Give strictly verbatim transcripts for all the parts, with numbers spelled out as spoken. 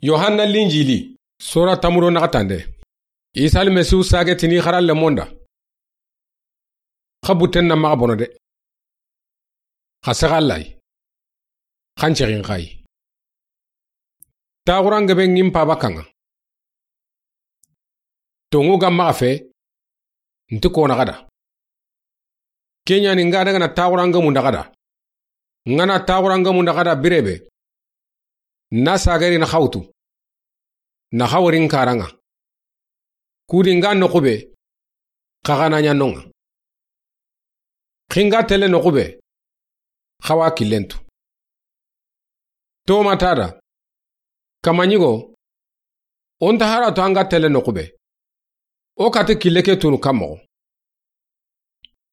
Yohanna Linjili. Sora tamuro naxatande. Isa Almasihu saage tini xaralle monda. Xa butten na maxa bono de. Xa sexa Alla yi. Xa n cexin xa yi. Taxuran gebe ŋin paba kaŋa. Tonŋu ga maxa fe, nti kona xada. Keɲani nga daga na taxuran gemu nda xada. Nga na taxuran gemu nda xada birebe. Na sagari na xawtu. Na xawrin karaŋa. Kudi nga noxube, xaxana ɲa noŋa. Xinga tele noxube, xawa killentu. Toma tada, kamaɲigo, o nta hara to anga tele noxube. O kati kille ke tunu kammoxo.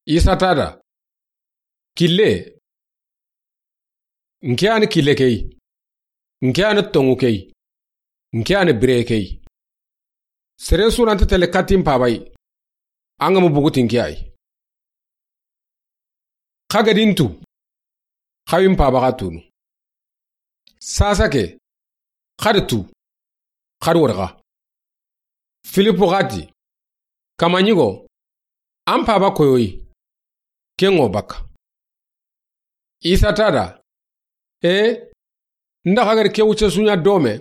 Isa tada, kille, nke ani kille key, nke ani tonŋu key, nke ani bire key. Sere surante tele katin pabay, anga mu bugutin ke ay. Xa gadin tu, xawin paba xa tunu. Sasa ke, xadi tu, xadi warxa. Filipu xati, kamaɲigo, an paba koyoyi, ken ŋo baka. Isa tada, e, nda xa gadi ke wuce suɲa dome,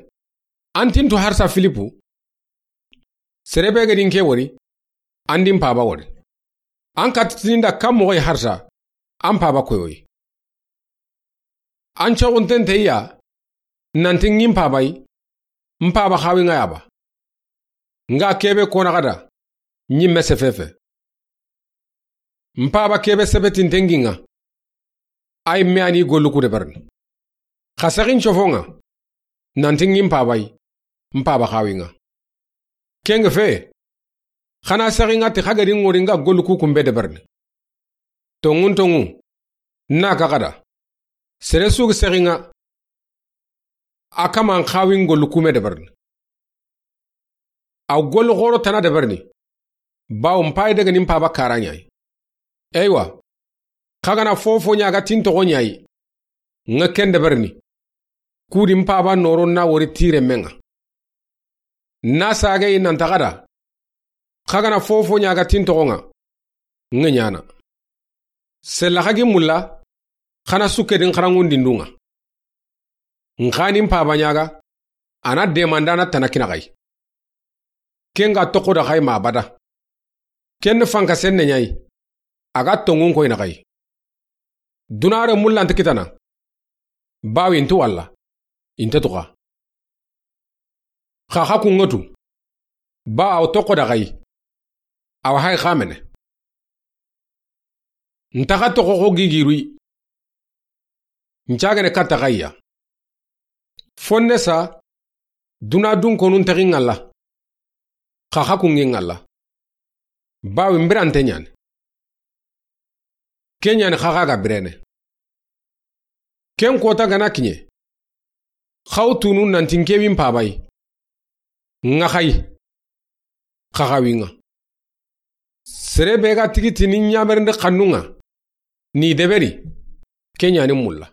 an tintu harsa Filipu. Serebe gadin ke wori, an din paba wori. An katitini nda kam moxoy harsa, an paba koyoyi. An coxunten teya, nanti ŋin pabay, n paba xawi ŋa yaba. Nga kebe kona xada, ɲimme sefefe. N paba kebe sebetinten ŋi ŋa. Ay me ani gollu ku deberni. Xa sexin cofoŋa, nanti ŋin pabay, n paba xawi ŋa. Kenge fe, xana sexi ŋa ti xa gadi ŋori nga gollu ku kumbe deberni. Tonŋun tonŋu, na ka xada. Sere sugi sexi ŋa, a kaman xawin gollu kume deberni. Aw gollu xoro tana deberni. Bawo n payi daga ni n paba kara ɲayi. Eywa, xa gana fofo ɲaga tin toxo ɲayi. Ŋa ken deberni. Kudi n paba noro na wori tire menŋa. Na sage yi nan taxada. Xa gana fofo ɲaga tin toxo ŋa. Ŋa ɲana. Sella xa gi mulla, xana sukke din xaranŋundin dunŋa. N xa ni n paba ɲaga, a na demandana tana kina xay. Ken ga toxo da xay ma bada. Ken ni fanka senne ɲayi, a ga tonŋun koyna xay. Dunare mulla nti kitana. Bawi nti walla, inte tuxa. Xa xa kunŋotu, ba aw toxo da xay. Aw hay xamene. Ntaxa toxo xo gigirui. Ncagene katta xayya. Fonne sa, duna dun konu ntaxi ŋalla. Xa xa kunŋi ŋalla. Bawi mbirante ɲani. Ke ɲani xa xa ga birene. Ken kota gana kiɲe. Xaw tunu nanti nke wi n pabay. Ŋa xay. Xa xa wi ŋa. Sere be ga tigi tini ɲamerindi xannu ŋa. Ni deberi. Ke ɲani mulla.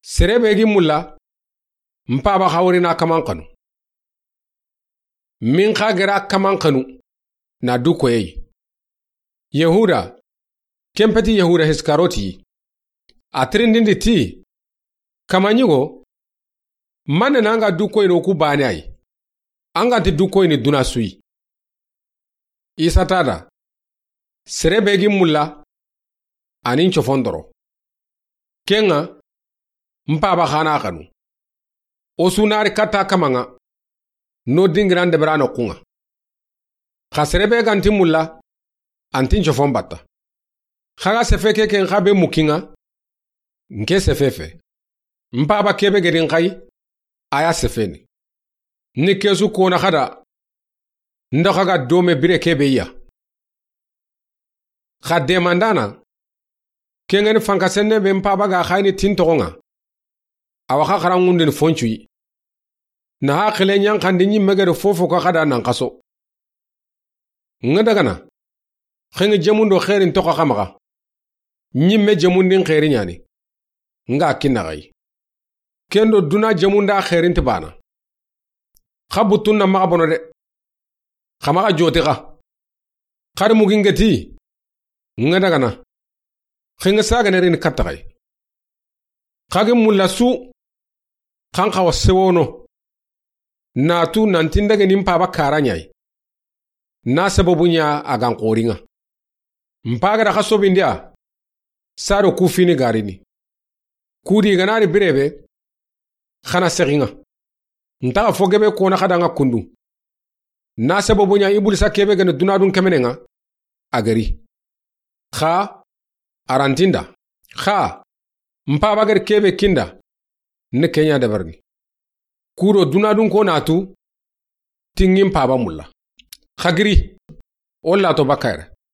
Sere be gi mulla. N paba xawri na kaman xanu. Min xa gera kaman xanu. Na du koyey. Yehuda, ken peti Yehuda Iskaroti, a tirindindi ti, kamaɲigo, manne na anga du koyini o ku bane ay, anga nti du koyini duna suyi. Isa tada, sere be gi mulla, anin cofon doro. Kenŋa, n paba xana xanu. O su nari katta kamaŋa, no dingiran debera noxuŋa. Xa sere be ganti mulla, antin cofon batta. Xa ga sefe ke ken xa be mukiŋa, nke sefe fe. N paba kebe gedin xay, a ya sefeni. Ni kesu kona xada, ndo xa ga dome bire kebe ya. Xa demandana, kengeni fanka senne be n paba ga xayini tin toxoŋa. Awa xa xaranŋundini foncuyi. Na xa xile ɲanxandi ɲimme gede fofo ka xada nan xaso. Ŋa dagana, xenŋe jemundo xerin toxa xa maxa. Ɲimme jemundin xeri ɲani. Nga kinna xayi. Ken do duna jemu nda xeerinti baana. Xa buttun na maxa bono de. Xa maxa joti xa. Xari mugi n geti. Nga dagana. Xinga sagane rini katta xa yi. Xa gi mulla su. Xan xawa sewono. Na tu nanti n dage ni n paaba kara ɲa yi. Na sababu ɲa a ga n xoori ŋa. N paaga da xa sobindi ya. Sado ku fini garini. Kudi ga na ri birebe. Xa na sexi ŋa. N taxa fo gebe kona xa da ŋa kundu. Na sababu ɲa Ibulisa kebe gani dunadun kemene ŋa. A gari. Xa. A ranti n da. Xa. N paaba gari kebe ki n da. Ni ke ɲa dabarini. Kudo dunadun ko na tu. Ti ŋi n paaba mulla. Xa giri. O la to bakayre.